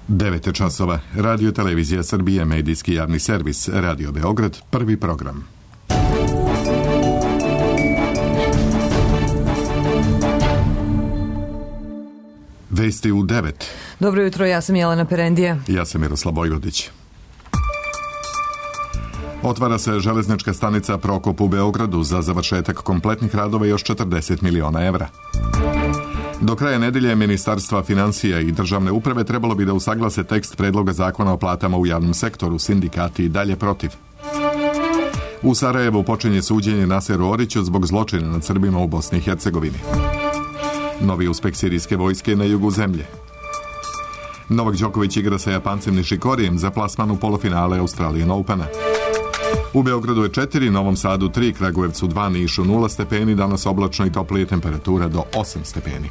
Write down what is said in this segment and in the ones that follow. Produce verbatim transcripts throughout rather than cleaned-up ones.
devet časova. Radio Televizija Srbije, medijski javni servis, Radio Beograd, prvi program. Vesti u devet. Dobro jutro, ja sam Jelena Perendija. Ja sam Miroslav Vojvodić. Otvara se železnička stanica Prokop u Beogradu, za završetak kompletnih radova još četrdeset miliona evra. Do kraja nedelje Ministarstva financija i državne uprave trebalo bi da usaglase tekst predloga zakona o platama u javnom sektoru, sindikati i dalje protiv. U Sarajevu počinje suđenje Naseru Oriću zbog zločina nad Srbima u Bosni i Hercegovini. Novi uspeh sirijske vojske na jugu zemlje. Novak Đoković igra sa Japancem Nishikorijem za plasman u polufinale Australian Opena. U Beogradu je četiri, Novom Sadu tri, Kragujevcu dva, Nišu nula stepeni, danas oblačno i toplije, temperatura do osam stepeni.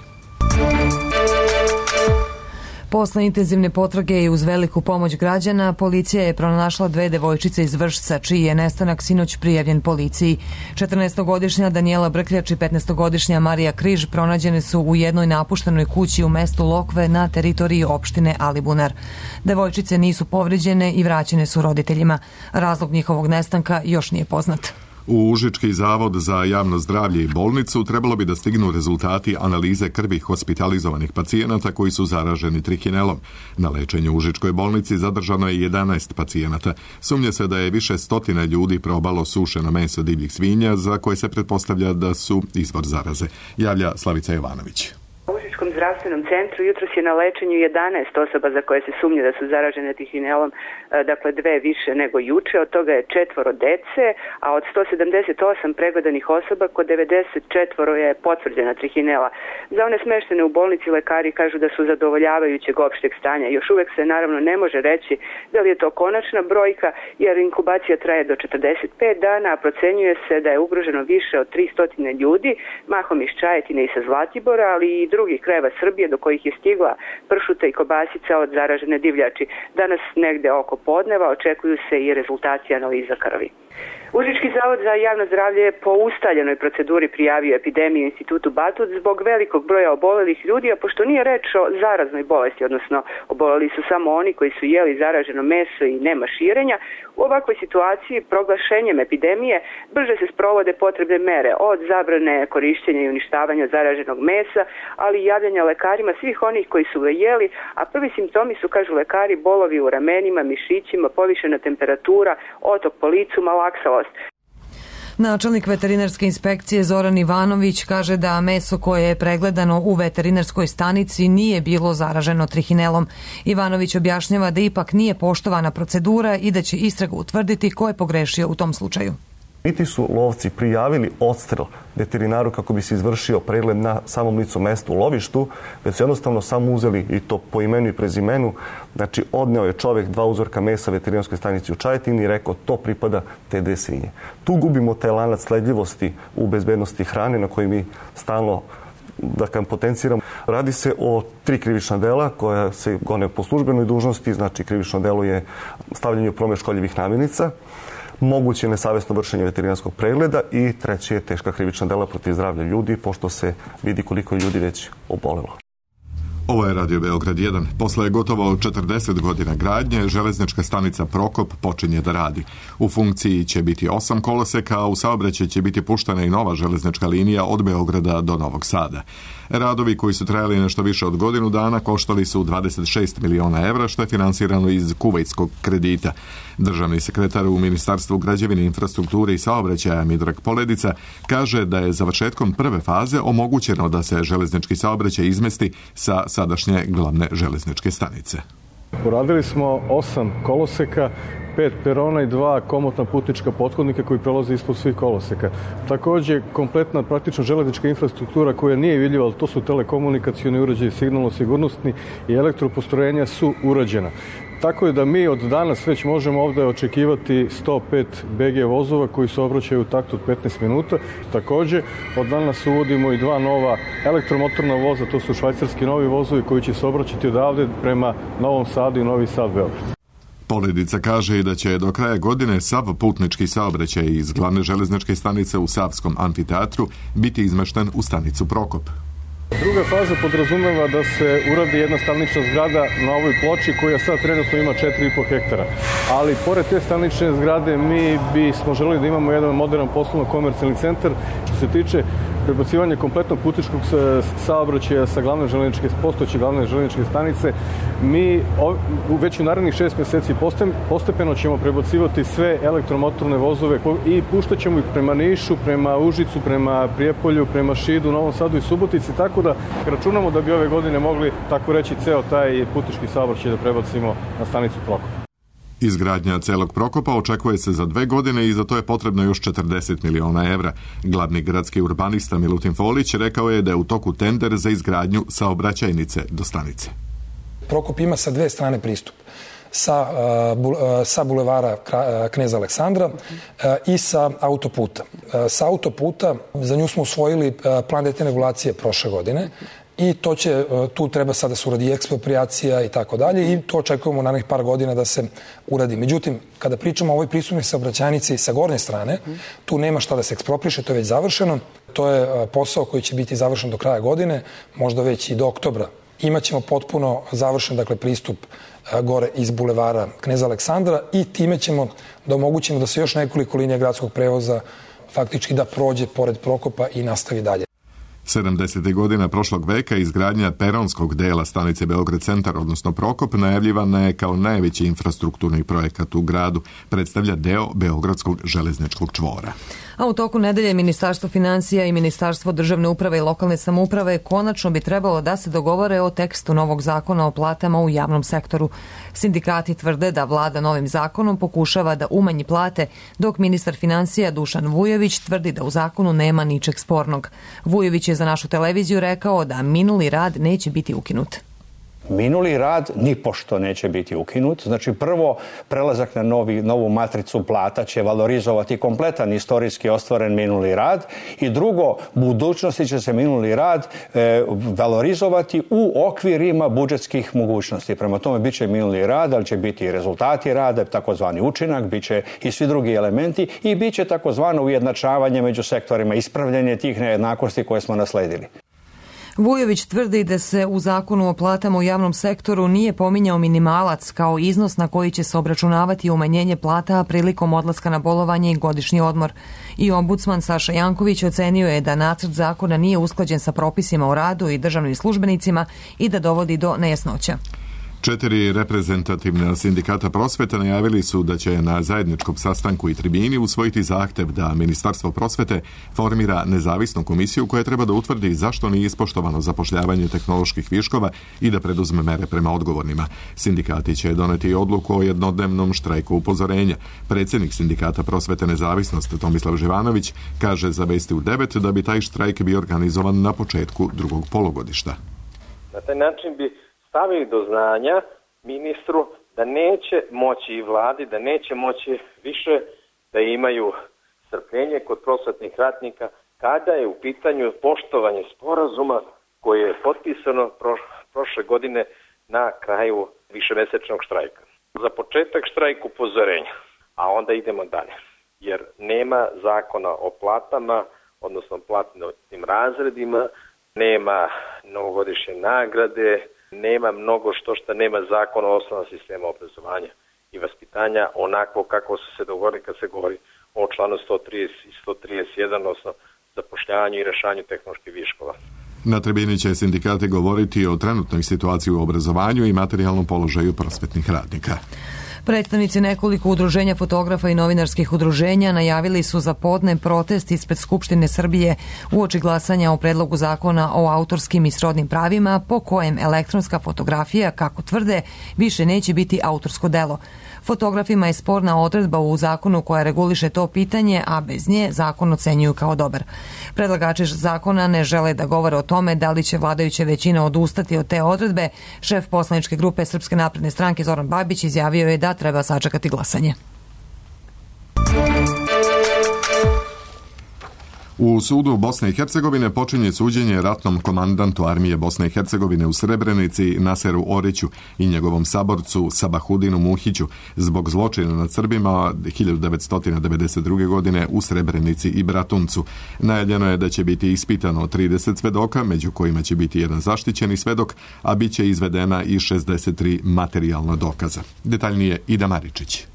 Posle intenzivne potrage i uz veliku pomoć građana, policija je pronašla dve devojčice iz Vršca, čiji je nestanak sinoć prijavljen policiji. četrnaestogodišnja Danijela Brkljač i petnaestogodišnja Marija Križ pronađene su u jednoj napuštenoj kući u mestu Lokve na teritoriji opštine Alibunar. Devojčice nisu povređene i vraćene su roditeljima. Razlog njihovog nestanka još nije poznat. U Užički zavod za javno zdravlje i bolnicu trebalo bi da stignu rezultati analize krvi hospitalizovanih pacijenata koji su zaraženi trihinelom. Na lečenju u Užičkoj bolnici zadržano je jedanaest pacijenata. Sumnja se da je više stotina ljudi probalo sušeno meso divljih svinja, za koje se pretpostavlja da su izvor zaraze. Javlja Slavica Jovanović. U Užičkom zdravstvenom centru jutros je na lečenju jedanaest osoba za koje se sumnja da su zaražene trihinelom, dakle dve više nego juče, od toga je četvoro dece, a od sto sedamdeset osam pregledanih osoba kod devedeset četiri je potvrđena trihinela. Za one smeštene u bolnici lekari kažu da su zadovoljavajućeg opšteg stanja. Još uvek se naravno ne može reći da li je to konačna brojka, jer inkubacija traje do četrdeset pet dana, a procenjuje se da je ugroženo više od tristo ljudi, mahom iz Čajetine i sa Zlatibora, ali i drugih krajeva Srbije do kojih je stigla pršuta i kobasica od zaražene divljači. Danas negde oko podneva očekuju se i rezultati analiza krvi. Užički zavod za javno zdravlje je po ustaljenoj proceduri prijavio epidemiju Institutu Batut zbog velikog broja obolelih ljudi, a pošto nije reč o zaraznoj bolesti, odnosno oboleli su samo oni koji su jeli zaraženo meso i nema širenja, u ovakvoj situaciji proglašenjem epidemije brže se sprovode potrebne mere, od zabrane korišćenja i uništavanja zaraženog mesa, ali i javljanja lekarima svih onih koji su ga jeli, a prvi simptomi su, kažu lekari, bolovi u ramenima, mišićima, povišena temperatura, otok po licu, malaksalost. Načelnik veterinarske inspekcije Zoran Ivanović kaže da meso koje je pregledano u veterinarskoj stanici nije bilo zaraženo trihinelom. Ivanović objašnjava da ipak nije poštovana procedura i da će istraga utvrditi ko je pogrešio u tom slučaju. Niti su lovci prijavili odstrel veterinaru kako bi se izvršio pregled na samom licu mesta u lovištu, već su jednostavno samo uzeli, i to po imenu i prezimenu, znači odneo je čovjek dva uzorka mesa veterinarskoj stanici u Čajetini i rekao to pripada te dve svinje. Tu gubimo taj lanac sledljivosti u bezbednosti hrane na koji mi stalno da kam potenciramo. Radi se o tri krivična dela koja se gone po službenoj dužnosti, znači krivično delo je stavljanje u promet škodljivih namirnica, moguće nesavesno vršenje veterinarskog pregleda i treće je teška krivična dela protiv zdravlja ljudi, pošto se vidi koliko ljudi već obolelo. Ovo je Radio Beograd jedan. Posle gotovo četrdeset godina gradnje, železnička stanica Prokop počinje da radi. U funkciji će biti osam koloseka, a u saobraćaj će biti puštena i nova železnička linija od Beograda do Novog Sada. Radovi koji su trajali nešto više od godinu dana koštali su dvadeset šest miliona evra, što je finansirano iz kuvajtskog kredita. Državni sekretar u Ministarstvu građevine, infrastrukture i saobraćaja Midrag Poledica kaže da je završetkom prve faze omogućeno da se železnički saobraćaj izmesti sa sadašnje glavne železničke stanice. Uradili smo osam koloseka, pet perona i dva komotna putnička pothodnika koji prelaze ispod svih koloseka. Također, kompletna praktično železnička infrastruktura koja nije vidljiva, ali to su telekomunikacioni uređaji, signalno-sigurnosni i elektropostrojenja su urađena. Tako je da mi od danas već možemo ovdje očekivati sto pet be ge vozova koji se obraćaju u taktu od petnaest minuta. Također, od danas uvodimo i dva nova elektromotorna voza, to su švajcarski novi vozovi koji će se obraćati odavde prema Novom Sadu i Novi Sad Beograd. Poledica kaže i da će do kraja godine sav putnički saobraćaj iz glavne železničke stanice u Savskom amfiteatru biti izmešten u stanicu Prokop. Druga faza podrazumeva da se uradi jedna stanična zgrada na ovoj ploči koja sad trenutno ima četiri i po hektara. Ali pored te stanične zgrade mi bismo želeli da imamo jedan modern poslovno-komercijalni centar. Što se tiče prebacivanja kompletnog putničkog saobraćaja sa glavne železničke postojeće glavne železničke stanice, mi već u narednih šest meseci postepeno ćemo prebacivati sve elektromotorne vozove i puštat ćemo ih prema Nišu, prema Užicu, prema Prijepolju, prema Šidu, Novom Sadu i Subotici, tako da računamo da bi ove godine mogli, tako reći, ceo taj putnički saobraćaj da prebacimo na stanicu Prokop. Izgradnja celog Prokopa očekuje se za dve godine i za to je potrebno još četrdeset miliona evra. Glavni gradski urbanista Milutin Folić rekao je da je u toku tender za izgradnju saobraćajnice do stanice. Prokop ima sa dve strane pristup. Sa, sa bulevara Kneza Aleksandra i sa autoputa. Sa autoputa, za nju smo usvojili plan detaljne regulacije prošle godine i to će, tu treba sada da se uradi eksproprijacija i tako dalje i to očekujemo u narednih par godina da se uradi. Međutim, kada pričamo o ovoj pristupnoj saobraćajnici sa gornje strane, tu nema šta da se ekspropriše, to je već završeno. To je posao koji će biti završen do kraja godine, možda već i do oktobra. Imaćemo potpuno završen, dakle, pristup gore iz bulevara Kneza Aleksandra i time ćemo da omogućimo da se još nekoliko linija gradskog prevoza faktički da prođe pored Prokopa i nastavi dalje. sedamdesetih godina prošlog veka izgradnja peronskog dela stanice Beograd centar, odnosno Prokop, najavljivana je kao najveći infrastrukturni projekat u gradu. Predstavlja deo Beogradskog železničkog čvora. A u toku nedelje Ministarstvo finansija i Ministarstvo državne uprave i lokalne samouprave konačno bi trebalo da se dogovore o tekstu novog zakona o platama u javnom sektoru. Sindikati tvrde da vlada novim zakonom pokušava da umanji plate, dok ministar finansija Dušan Vujović tvrdi da u zakonu nema ničeg spornog. Vujović je za našu televiziju rekao da minuli rad neće biti ukinut. Minuli rad nipošto neće biti ukinut. Znači, prvo, prelazak na novi, novu matricu plata će valorizovati kompletan istorijski ostvaren minuli rad i drugo, u budućnosti će se minuli rad e, valorizovati u okvirima budžetskih mogućnosti. Prema tome, bit će minuli rad, ali će biti i rezultati rada, takozvani učinak, bit će i svi drugi elementi i bit će takozvano ujednačavanje među sektorima, ispravljanje tih nejednakosti koje smo nasledili. Vujović tvrdi da se u zakonu o platama u javnom sektoru nije pominjao minimalac kao iznos na koji će se obračunavati umanjenje plata prilikom odlaska na bolovanje i godišnji odmor. I ombudsman Saša Janković ocenio je da nacrt zakona nije usklađen sa propisima o radu i državnim službenicima i da dovodi do nejasnoća. Četiri reprezentativna sindikata prosvete najavili su da će na zajedničkom sastanku i tribini usvojiti zahtev da Ministarstvo prosvete formira nezavisnu komisiju koja treba da utvrdi zašto nije ispoštovano zapošljavanje tehnoloških viškova i da preduzme mere prema odgovornima. Sindikati će doneti odluku o jednodnevnom štrajku upozorenja. Predsjednik sindikata prosvete Nezavisnost Tomislav Živanović kaže za Vesti u devet da bi taj štrajk bio organizovan na početku drugog polugodišta. Na taj način bi stavili do znanja ministru da neće moći i vladi, da neće moći više da imaju strpljenje kod prosvetnih radnika kada je u pitanju poštovanje sporazuma koje je potpisano prošle godine na kraju višemesečnog štrajka. Za početak štrajk upozorenja, a onda idemo dalje. Jer nema zakona o platama, odnosno platnim razredima, nema novogodišnje nagrade, nema mnogo što što nema zakona o osnovnom sistemu obrazovanja i vaspitanja onako kako su se dogovorili kad se govori o članu sto trideset i sto trideset jedan, odnosno zapošljavanju i rešavanju tehnoloških viškova. Na tribini će sindikati govoriti o trenutnoj situaciji u obrazovanju i materijalnom položaju prosvetnih radnika. Predstavnici nekoliko udruženja fotografa i novinarskih udruženja najavili su za podne protest ispred Skupštine Srbije uoči glasanja o predlogu zakona o autorskim i srodnim pravima po kojem elektronska fotografija, kako tvrde, više neće biti autorsko delo. Fotografima je sporna odredba u zakonu koja reguliše to pitanje, a bez nje zakon ocenjuju kao dobar. Predlagači zakona ne žele da govore o tome da li će vladajuća većina odustati od te odredbe. Šef poslaničke grupe Srpske napredne stranke Zoran Babić izjavio je da treba sačekati glasanje. U sudu Bosne i Hercegovine počinje suđenje ratnom komandantu armije Bosne i Hercegovine u Srebrenici Naseru Oriću i njegovom saborcu Sabahudinu Muhiću zbog zločina nad Srbima hiljadu devetsto devedeset druge. godine u Srebrenici i Bratuncu. Najavljeno je da će biti ispitano trideset svedoka, među kojima će biti jedan zaštićeni svedok, a bit će izvedena i šezdeset tri materijalna dokaza. Detaljnije Ida Maričić.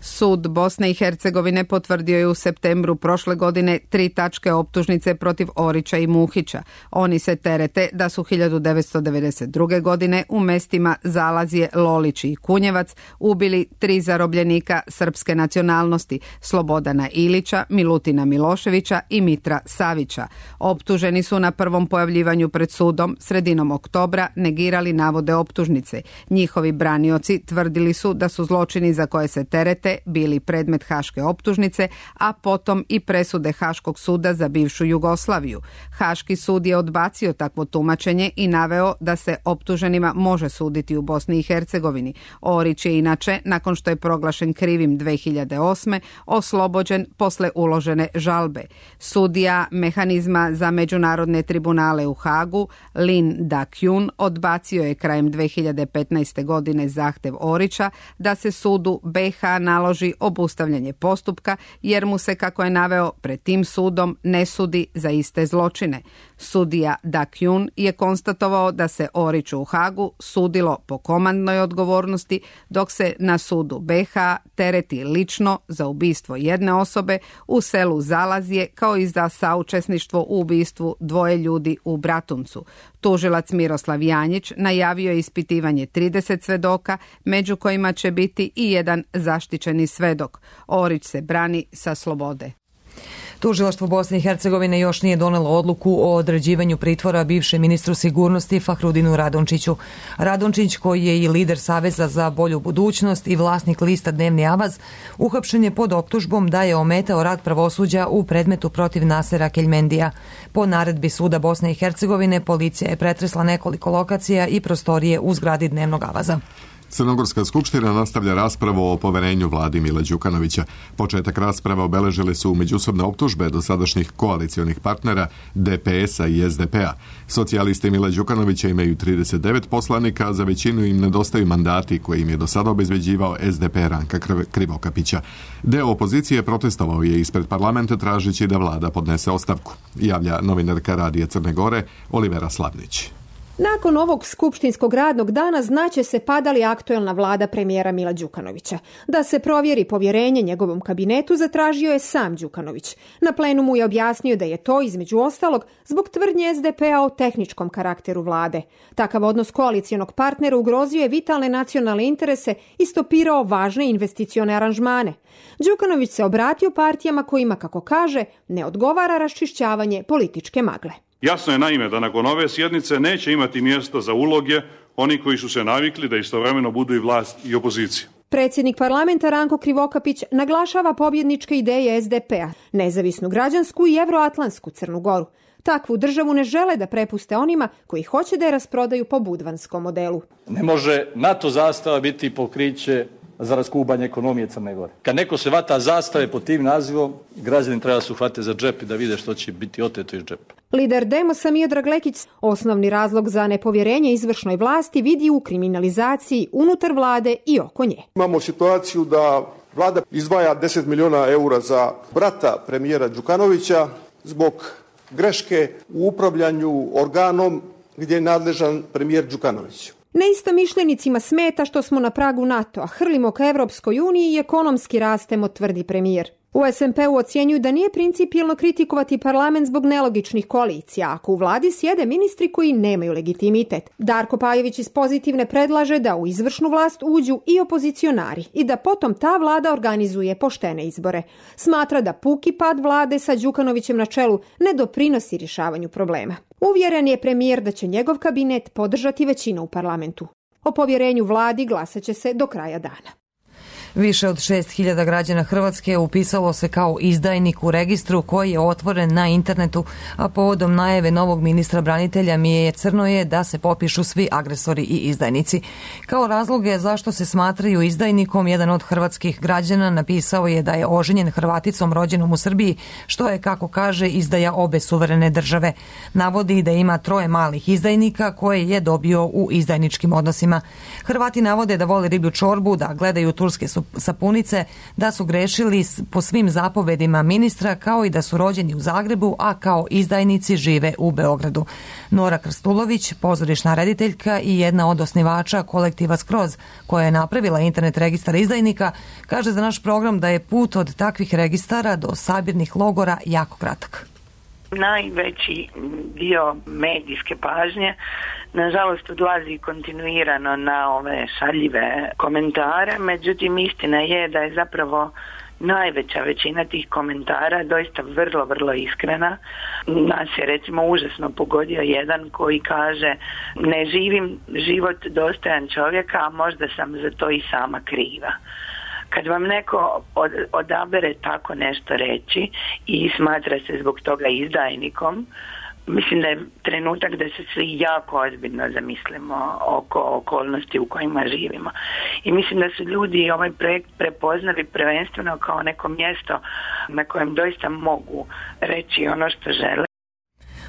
Sud Bosne i Hercegovine potvrdio je u septembru prošle godine tri tačke optužnice protiv Orića i Muhića. Oni se terete da su hiljadu devetsto devedeset druge. godine u mestima Zalazje, Lolić i Kunjevac ubili tri zarobljenika srpske nacionalnosti, Slobodana Ilića, Milutina Miloševića i Mitra Savića. Optuženi su na prvom pojavljivanju pred sudom sredinom oktobra negirali navode optužnice. Njihovi branioci tvrdili su da su zločini za koje se terete bili predmet haške optužnice, a potom i presude Haškog suda za bivšu Jugoslaviju. Haški sud je odbacio takvo tumačenje i naveo da se optuženima može suditi u Bosni i Hercegovini. Orić je inače, nakon što je proglašen krivim dve hiljade osme. oslobođen posle uložene žalbe. Sudija mehanizma za međunarodne tribunale u Hagu, Lin Da-Kyun, odbacio je krajem dve hiljade petnaeste. godine zahtev Orića da se sudu be ha naloži obustavljanje postupka, jer mu se, kako je naveo, pred tim sudom ne sudi za iste zločine. Sudija Da-Kyun je konstatovao da se Oriću u Hagu sudilo po komandnoj odgovornosti, dok se na sudu be ha tereti lično za ubistvo jedne osobe u selu Zalazje, kao i za saučesništvo u ubistvu dvoje ljudi u Bratuncu. Tužilac Miroslav Janjić najavio je ispitivanje trideset svedoka, među kojima će biti i jedan zaštićeni svedok. Orić se brani sa slobode. Tužilaštvo Bosne i Hercegovine još nije donelo odluku o određivanju pritvora bivšem ministru sigurnosti Fahrudinu Radončiću. Radončić, koji je i lider Saveza za bolju budućnost i vlasnik lista Dnevni avaz, uhapšen je pod optužbom da je ometao rad pravosuđa u predmetu protiv Nasera Keljmendija. Po naredbi suda Bosne i Hercegovine policija je pretresla nekoliko lokacija i prostorije u zgradi Dnevnog avaza. Crnogorska skupština nastavlja raspravu o poverenju vladi Mila Đukanovića. Početak rasprave obeležile su međusobne optužbe dosadašnjih koalicionih partnera de pe es a i es de pe a. Socijalisti Mila Đukanovića imaju trideset devet poslanika, a za većinu im nedostaju mandati koje im je do sada obezbeđivao es de pe Ranka Krivokapića. Deo opozicije protestovao je ispred parlamenta tražeći da vlada podnese ostavku. Javlja novinarka Radija Crne Gore Olivera Slavnić. Nakon ovog skupštinskog radnog dana znaće se pada li aktuelna vlada premijera Mila Đukanovića. Da se provjeri povjerenje njegovom kabinetu zatražio je sam Đukanović. Na plenumu je objasnio da je to, između ostalog, zbog tvrdnje es de pe a o tehničkom karakteru vlade. Takav odnos koalicijonog partnera ugrozio je vitalne nacionalne interese i stopirao važne investicione aranžmane. Đukanović se obratio partijama kojima, kako kaže, ne odgovara raščišćavanje političke magle. Jasno je naime da nakon ove sjednice neće imati mjesta za uloge oni koji su se navikli da istovremeno budu i vlast i opozicija. Predsjednik parlamenta Ranko Krivokapić naglašava pobjedničke ideje es de pe a, nezavisnu građansku i evroatlantsku Crnu Goru. Takvu državu ne žele da prepuste onima koji hoće da je rasprodaju po budvanskom modelu. Ne može NATO zastava biti pokriće za raskubanje ekonomije Crne Gore. Kad neko se vata zastave pod tim nazivom, građani treba se uhvate za džep i da vide što će biti oteto iz džepa. Lider Demosa Miodrag Lekić osnovni razlog za nepovjerenje izvršnoj vlasti vidi u kriminalizaciji unutar vlade i oko nje. Imamo situaciju da vlada izdvaja deset miliona eura za brata premijera Đukanovića zbog greške u upravljanju organom gdje je nadležan premijer Đukanović. Neistomišljenicima smeta što smo na pragu NATO, a hrlimo ka Evropskoj uniji i ekonomski rastemo, tvrdi premijer. U es em pe u ocjenjuju da nije principijelno kritikovati parlament zbog nelogičnih koalicija, ako u vladi sjede ministri koji nemaju legitimitet. Darko Pajović iz Pozitivne predlaže da u izvršnu vlast uđu i opozicionari i da potom ta vlada organizuje poštene izbore. Smatra da puki pad vlade sa Đukanovićem na čelu ne doprinosi rješavanju problema. Uvjeren je premijer da će njegov kabinet podržati većinu u parlamentu. O povjerenju vladi glasat će se do kraja dana. Više od šest hiljada građana Hrvatske upisalo se kao izdajnik u registru koji je otvoren na internetu, a povodom najave novog ministra branitelja Mije Crnoje da se popišu svi agresori i izdajnici. Kao razloge zašto se smatraju izdajnikom, jedan od hrvatskih građana napisao je da je oženjen Hrvaticom rođenom u Srbiji, što je, kako kaže, izdaja obe suverene države. Navodi da ima troje malih izdajnika koje je dobio u izdajničkim odnosima. Hrvati navode da vole riblju čorbu, da gledaju turske sapunice, da su grešili po svim zapovedima ministra, kao i da su rođeni u Zagrebu, a kao izdajnici žive u Beogradu. Nora Krstulović, pozorišna rediteljka i jedna od osnivača kolektiva Skroz, koja je napravila internet registar izdajnika, kaže za naš program da je put od takvih registara do sabirnih logora jako kratak. Najveći dio medijske pažnje nažalost odlazi kontinuirano na ove šaljive komentare, međutim istina je da je zapravo najveća većina tih komentara doista vrlo, vrlo iskrena. Nas je recimo užasno pogodio jedan koji kaže: ne živim život dostojan čovjeka, a možda sam za to i sama kriva. Kad vam neko od, odabere tako nešto reći i smatra se zbog toga izdajnikom, mislim da je trenutak da se svi jako ozbiljno zamislimo oko okolnosti u kojima živimo. I mislim da su ljudi ovaj projekt prepoznali prvenstveno kao neko mjesto na kojem doista mogu reći ono što žele.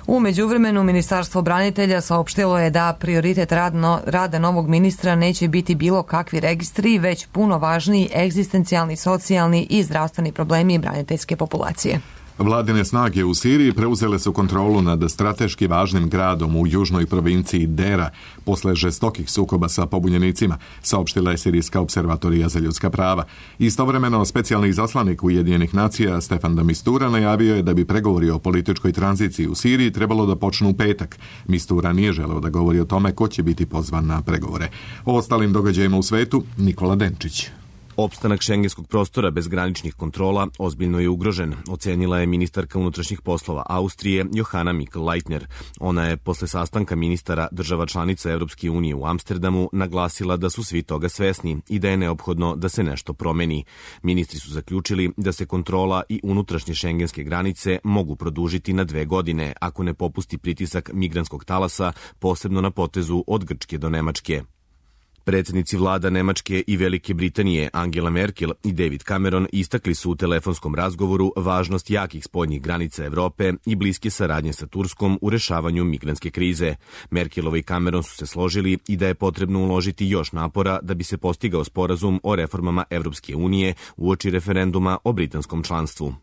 U međuvremenu Ministarstvo branitelja saopštilo je da prioritet radno, rada novog ministra neće biti bilo kakvi registri, već puno važniji egzistencijalni, socijalni i zdravstveni problemi braniteljske populacije. Vladine snage u Siriji preuzele su kontrolu nad strateški važnim gradom u južnoj provinciji Dera posle žestokih sukoba sa pobunjenicima, saopštila je Sirijska observatorija za ljudska prava. Istovremeno, specijalni izaslanik Ujedinjenih nacija Stefan de Mistura najavio je da bi pregovori o političkoj tranziciji u Siriji trebalo da počnu u petak. Mistura nije želeo da govori o tome ko će biti pozvan na pregovore. O ostalim događajima u svetu, Nikola Denčić. Opstanak šengenskog prostora bez graničnih kontrola ozbiljno je ugrožen, ocenila je ministarka unutrašnjih poslova Austrije Johanna Mikl-Leitner. Ona je posle sastanka ministara država članica Evropske unije u Amsterdamu naglasila da su svi toga svesni i da je neophodno da se nešto promeni. Ministri su zaključili da se kontrola i unutrašnje šengenske granice mogu produžiti na dve godine ako ne popusti pritisak migrantskog talasa, posebno na potezu od Grčke do Nemačke. Predsjednici vlada Nemačke i Velike Britanije Angela Merkel i David Cameron istakli su u telefonskom razgovoru važnost jakih spoljnih granica Evrope i bliske saradnje sa Turskom u rešavanju migrantske krize. Merkelova i Cameron su se složili i da je potrebno uložiti još napora da bi se postigao sporazum o reformama Evropske unije uoči referenduma o britanskom članstvu.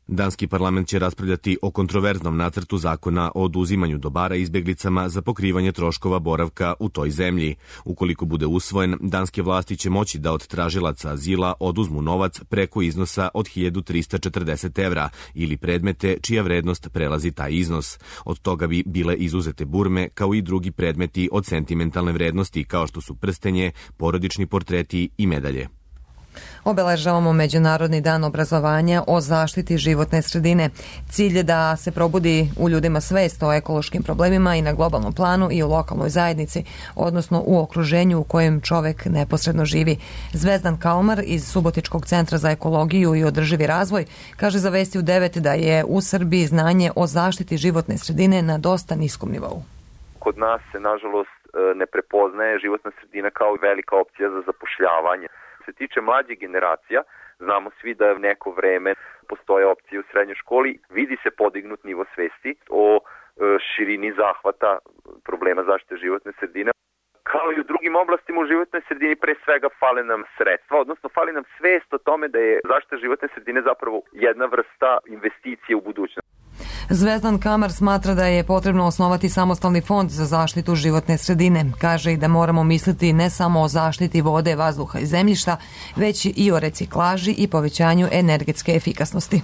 Danski parlament će raspravljati o kontroverznom nacrtu zakona o oduzimanju dobara izbjeglicama za pokrivanje troškova boravka u toj zemlji. Ukoliko bude usvojen, danske vlasti će moći da od tražilaca azila oduzmu novac preko iznosa od hiljadu trista četrdeset evra ili predmete čija vrednost prelazi taj iznos. Od toga bi bile izuzete burme kao i drugi predmeti od sentimentalne vrednosti kao što su prstenje, porodični portreti i medalje. Obeležavamo Međunarodni dan obrazovanja o zaštiti životne sredine. Cilj je da se probudi u ljudima svest o ekološkim problemima i na globalnom planu i u lokalnoj zajednici, odnosno u okruženju u kojem čovek neposredno živi. Zvezdan Kalmar iz Subotičkog centra za ekologiju i održivi razvoj kaže za Vesti u devet da je u Srbiji znanje o zaštiti životne sredine na dosta niskom nivou. Kod nas se, nažalost, ne prepoznaje životna sredina kao velika opcija za zapošljavanje. Što se tiče mlađih generacija, znamo svi da je neko vreme postoje opcije u srednjoj školi, vidi se podignut nivo svesti o širini zahvata problema zaštite životne sredine. Kao i u drugim oblastima u životnoj sredini, pre svega fale nam sredstva, odnosno fali nam svest o tome da je zaštita životne sredine zapravo jedna vrsta investicije u budućnost. Zvezdan Kamar smatra da je potrebno osnovati samostalni fond za zaštitu životne sredine. Kaže i da moramo misliti ne samo o zaštiti vode, vazduha i zemljišta, već i o reciklaži i povećanju energetske efikasnosti.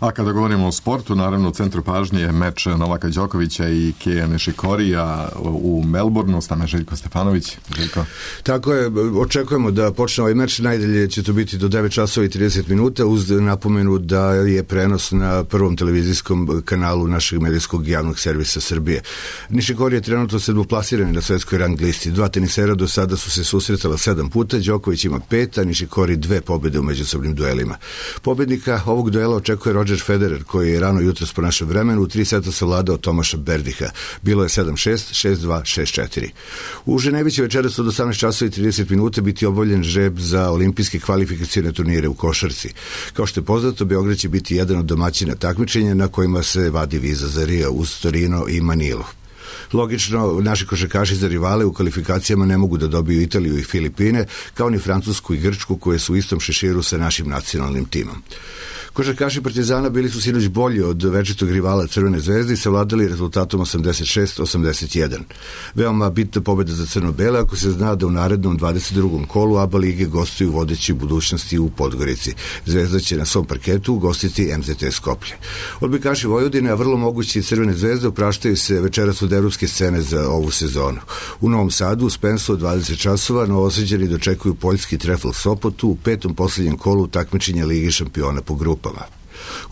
A kada govorimo o sportu, naravno u centru pažnje je meč Novaka Đokovića i Keja Nišikorija u Melbourneu. S nama Željko Stefanović. Željko. Tako je, očekujemo da počne ovaj meč. Najdalje će to biti do devet časova i trideset minuta, uz napomenu da je prenos na prvom televizijskom kanalu našeg medijskog javnog servisa Srbije. Nišikori je trenutno sedmoplasirani na svetskoj rang listi. Dva tenisera do sada su se susretala sedam puta, Đoković ima pet, a Nišikori dve pobjede u međusobnim duelima. Pobednika ovog duela očekuje Roger Federer, koji je rano jutros po našem vremenu u tri seta savladao Tomaša Berdiha. Bilo je sedam šest, šest dva, šest četiri. U Ženevi će večeras od osamnaest časova i trideset minuta biti obavljen žreb za olimpijske kvalifikacione turnire u košarci. Kao što je poznato, Beograd će biti jedan od domaćina takmičenja na kojima se vadi viza za Rio uz Torino i Manilu. Logično, naši košarkaši za rivale u kvalifikacijama ne mogu da dobiju Italiju i Filipine, kao ni Francusku i Grčku, koje su u istom šeširu sa našim nacionalnim timom. Košarkaši Partizana bili su sinoć bolji od večitog rivala Crvene zvezde i savladali rezultatom osamdeset šest osamdeset jedan. Veoma bitna pobjeda za crno-bele ako se zna da u narednom dvadeset drugom kolu A B A lige gostuju vodeći u budućnosti u Podgorici. Zvezda će na svom parketu gostiti M Z T Skoplje. Odbojkaši Vojvodine, a vrlo mogući Crvene zvezde, opraštaju se večeras od evropske scene za ovu sezonu. U Novom Sadu u Spensu od dvadeset časova Novosađani dočekuju poljski Trefl Sopotu u petom posljednjem kolu takmičenja Lige šampiona po grupama.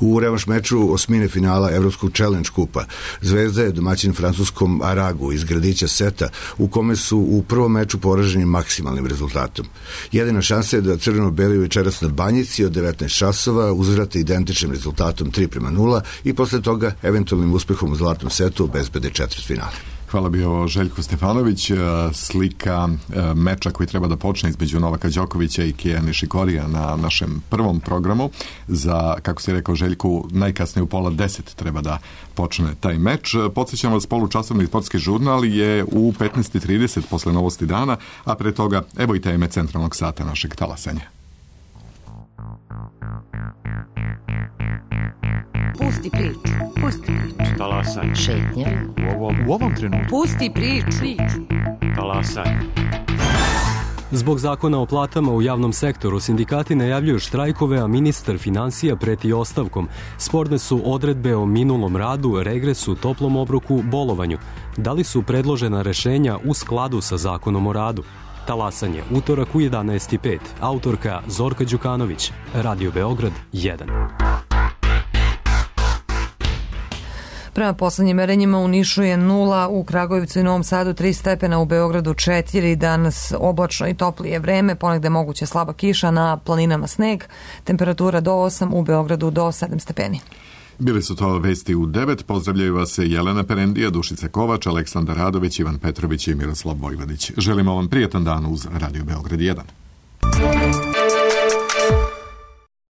U revanš meču osmine finala Evropskog Challenge kupa Zvezda je domaćin francuskom Aragu iz gradića Seta, u kome su u prvom meču poraženi maksimalnim rezultatom. Jedina šansa je da crveno-beli večeras na Banjici od devetnaest časova uzvrate identičnim rezultatom tri prema nula i posle toga eventualnim uspehom u zlatnom setu obezbede četvrtfinale. Hvala bio Željko Stefanović. Slika meča koji treba da počne između Novaka Đokovića i Keja Nišikorija na našem prvom programu. Za, kako si rekao Željku, najkasnije u pola deset treba da počne taj meč. Podsjećam vas, polučasovni sportski žurnal je u petnaest i trideset posle novosti dana, a pre toga evo i teme centralnog sata našeg talasanja. Pusti priču, pusti priču. Talasaj. Šetnja. U ovom, u ovom trenutku. Pusti priču. Talasaj. Zbog zakona o platama u javnom sektoru sindikati najavljuju štrajkove, a ministar finansija preti ostavkom. Sporne su odredbe o minulom radu, regresu, toplom obroku, bolovanju. Da li su predložena rešenja u skladu sa zakonom o radu? Talasanje, utorak u jedanaest i pet. Autorka Zorka Đukanović. Radio Beograd jedan. Prema poslednjim merenjima u Nišu je nula, u Kragujevcu i Novom Sadu tri stepena, u Beogradu četiri, danas oblačno i toplije vreme, ponegde moguće slaba kiša, na planinama sneg, temperatura do osam, u Beogradu do sedam stepeni. Bili su to vesti u devet. Pozdravljaju vas Jelena Perendija, Dušica Kovač, Aleksandar Radović, Ivan Petrović i Miroslav Vojvodić. Želimo vam prijetan dan uz Radio Beograd jedan.